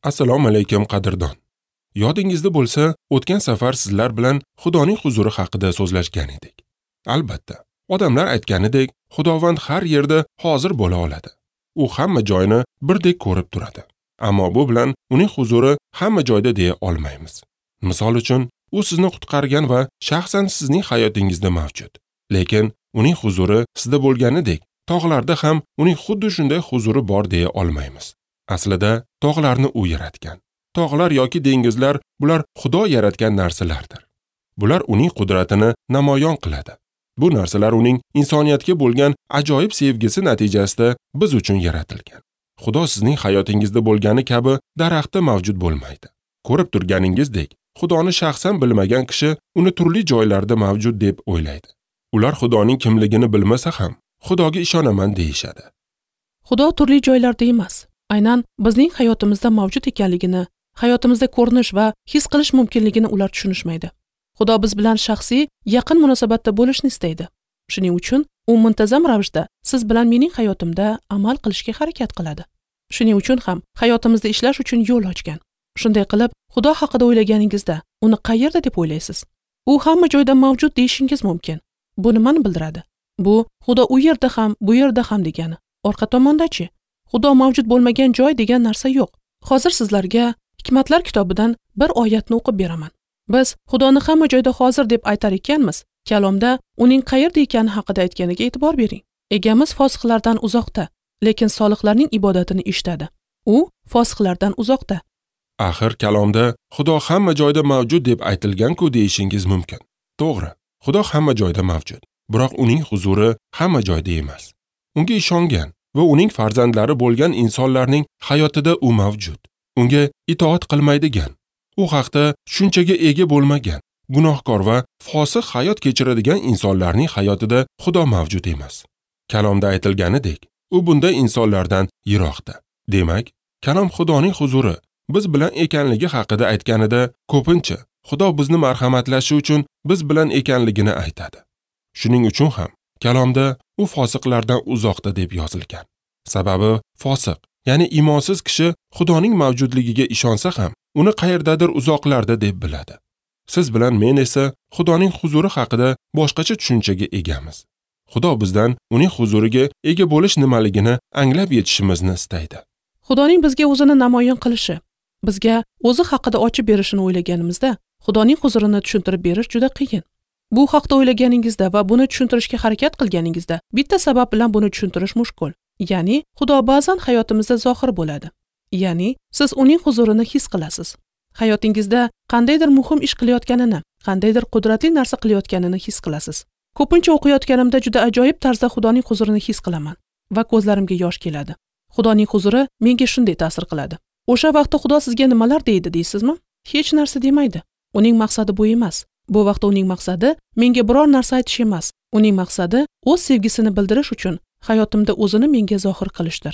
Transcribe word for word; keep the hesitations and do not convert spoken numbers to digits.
Assalomu alaykum qadrdon. Yodingizda bo'lsa, o'tgan safar sizlar bilan Xudoning huzuri haqida so'zlashgan edik. Albatta, odamlar aytganidek, Xudovand har yerda hozir bo'la oladi. U hamma joyni birdek ko'rib turadi. Ammo bu bilan uning huzuri hamma joyda deya olmaymiz. Misol uchun, u sizni qutqargan va shaxsan sizning hayotingizda mavjud. Lekin uning huzuri sizda bo'lganidek, tog'larda ham uning xuddi shunday huzuri bor deya olmaymiz. Aslida tog'larni u yaratgan. Tog'lar yoki dengizlar bular Xudo yaratgan narsalardir. Bular uning qudratini namoyon qiladi. Bu narsalar uning insoniyatga bo'lgan ajoyib sevgisi natijasida biz uchun yaratilgan. Xudo sizning hayotingizda bo'lgani kabi daraxtda mavjud bo'lmaydi. Ko'rib turganingizdek, Xudoni shaxsan bilmagan kishi uni turli joylarda mavjud deb o'ylaydi. Ular Xudoning kimligini bilmasa ham, Xudoga ishonaman deyishadi. Xudo turli joylarda emas, aynan bizning hayotimizda mavjud ekanligini, hayotimizda ko'rinish va his qilish mumkinligini ular tushunishmaydi. Xudo biz bilan shaxsiy, yaqin munosabatda bo'lishni istaydi. Shuning uchun u muntazam ravishda siz bilan mening hayotimda amal qilishga harakat qiladi. Shuning uchun ham hayotimizda ishlash uchun yo'l ochgan. Shunday qilib, Xudo haqida o'ylaganingizda uni qayerda deb o'ylaysiz? U hamma joyda mavjud deyishingiz mumkin. Bu nimani bildiradi? Bu Xudo u yerda ham, bu yerda ham degani. Orqa tomonda-chi? Xudo mavjud bo'lmagan joy degan narsa yo'q. Hozir sizlarga Hikmatlar kitobidan bir oyatni o'qib beraman. Biz Xudoni hamma joyda hozir deb aytar ekanmiz, kalomda uning qayerda ekani haqida aytganiga e'tibor bering. Egamiz fosiqlardan uzoqda, lekin solihlarning ibodatini eshitadi. U fosiqlardan uzoqda. Axir kalomda Xudo hamma joyda mavjud deb aytilgan-ku deyishingiz mumkin. To'g'ri, Xudo hamma joyda mavjud, biroq uning huzuri hamma joyda emas. Unga ishongan va uning farzandlari bo'lgan insonlarning hayotida u mavjud. Unga itoat qilmaydigan, u haqda tushunchaga ega bo'lmagan, gunohkor va fosiq hayot kechiradigan insonlarning hayotida Xudo mavjud emas. Kalomda aytilganidek, u bunday insonlardan yiroqda. Demak, kalom Xudoning huzuri biz bilan ekanligi haqida aytganida ko'pincha Xudo bizni marhamatlashi uchun biz bilan ekanligini aytadi. Shuning uchun ham kalomda u fosiqlardan uzoqda deb yozilgan. Sababi fosiq, ya'ni iymonsiz kishi Xudoning mavjudligiga ishonsa ham, uni qayerdadir uzoqlarda deb biladi. Siz bilan men esa Xudoning huzuri haqida boshqacha tushunchaga egamiz. Xudo bizdan uning huzuriga ega bo'lish nimaligini anglab yetishimizni istaydi. Xudoning bizga o'zini namoyon qilishi, bizga o'zi haqida ochib berishini o'ylaganimizda, Xudoning huzurini tushuntirib berish juda qiyin. Bu haqda o'ylaganingizda va buni tushuntirishga harakat qilganingizda bitta sabab bilan buni tushuntirish mushkul. Ya'ni Xudo ba'zan hayotimizda zohir bo'ladi. Ya'ni siz uning huzurini his qilasiz. Hayotingizda qandaydir muhim ish qilayotganini, qandaydir qudratli narsa qilayotganini his qilasiz. Ko'pincha o'qiyotganimda juda ajoyib tarzda Xudoning huzurini his qilaman va ko'zlarimga yosh keladi. Xudoning huzuri menga shunday ta'sir qiladi. O'sha vaqtda Xudo sizga nimalar deydi deysizmi? Hech narsa demaydi. Uning maqsadi bu emas. Bu vaqtda uning maqsadi menga biror narsa aytish emas. Uning maqsadi o'z sevgisini bildirish uchun hayotimda o'zini menga zohir qilishdir.